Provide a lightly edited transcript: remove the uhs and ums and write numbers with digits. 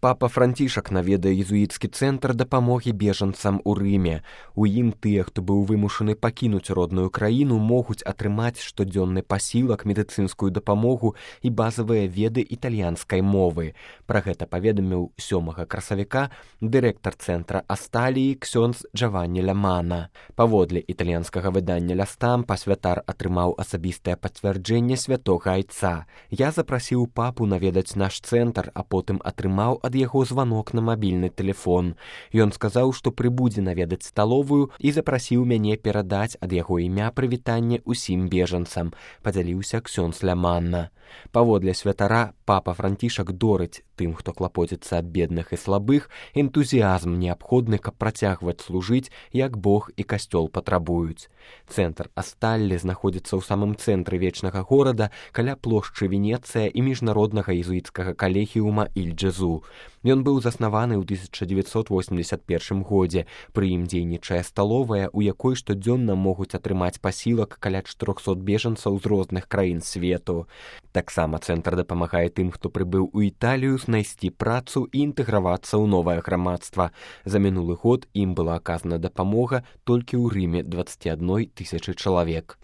Папа Францішак наведае езуіцкі цэнтр дапамогі бежанцам у Рыме. У ім тыя, хто быў вымушаны пакінуць родную краіну, могуць атрымаць штодзённы пасілак, медыцынскую дапамогу і базавыя веды італьянскай мовы. Пра гэта паведаміў 7 красавіка дырэктар цэнтра Асталіі ксёндз Джаванні Лямана. Паводле італьянскага выдання «Ля Стампа» святар атрымаў асабістае пацвярджэнне святога айца. Я запрасіў папу наведаць наш цэнтр, а потым атрымаў ад яго званок на мабільны тэлефон. Ён сказаў, што прыбудзе наведаць сталовую і запрасіў мяне перадаць ад яго імя прывітанне ўсім бежанцам, падзяліўся ксёндз Ляманна. Паводле святара, папа Францішак дорыць тым, хто клапоціцца аб бедных і слабых, энтузіязм неабходны, каб працягваць служыць, як Бог і касцёл патрабуюць. Цэнтр Асталлі знаходзіцца ў самым цэнтры вечнага горада, каля плошчы Венецыя і міжнароднага езуіцкага калегіума Іль-Джезу. Ён быў заснаваны ў 1981 годзе. Пры ім дзейнічае сталовая, у якой штодзённа могуць атрымаць пасілак каля 400 бежанцаў з розных краін свету. Таксама цэнтр дапамагае тым, хто прыбыў у Італію, знайсці працу і інтэгравацца ў новае грамадства. За мінулы год ім была аказана дапамога толькі ў Рыме 21 000 чалавек.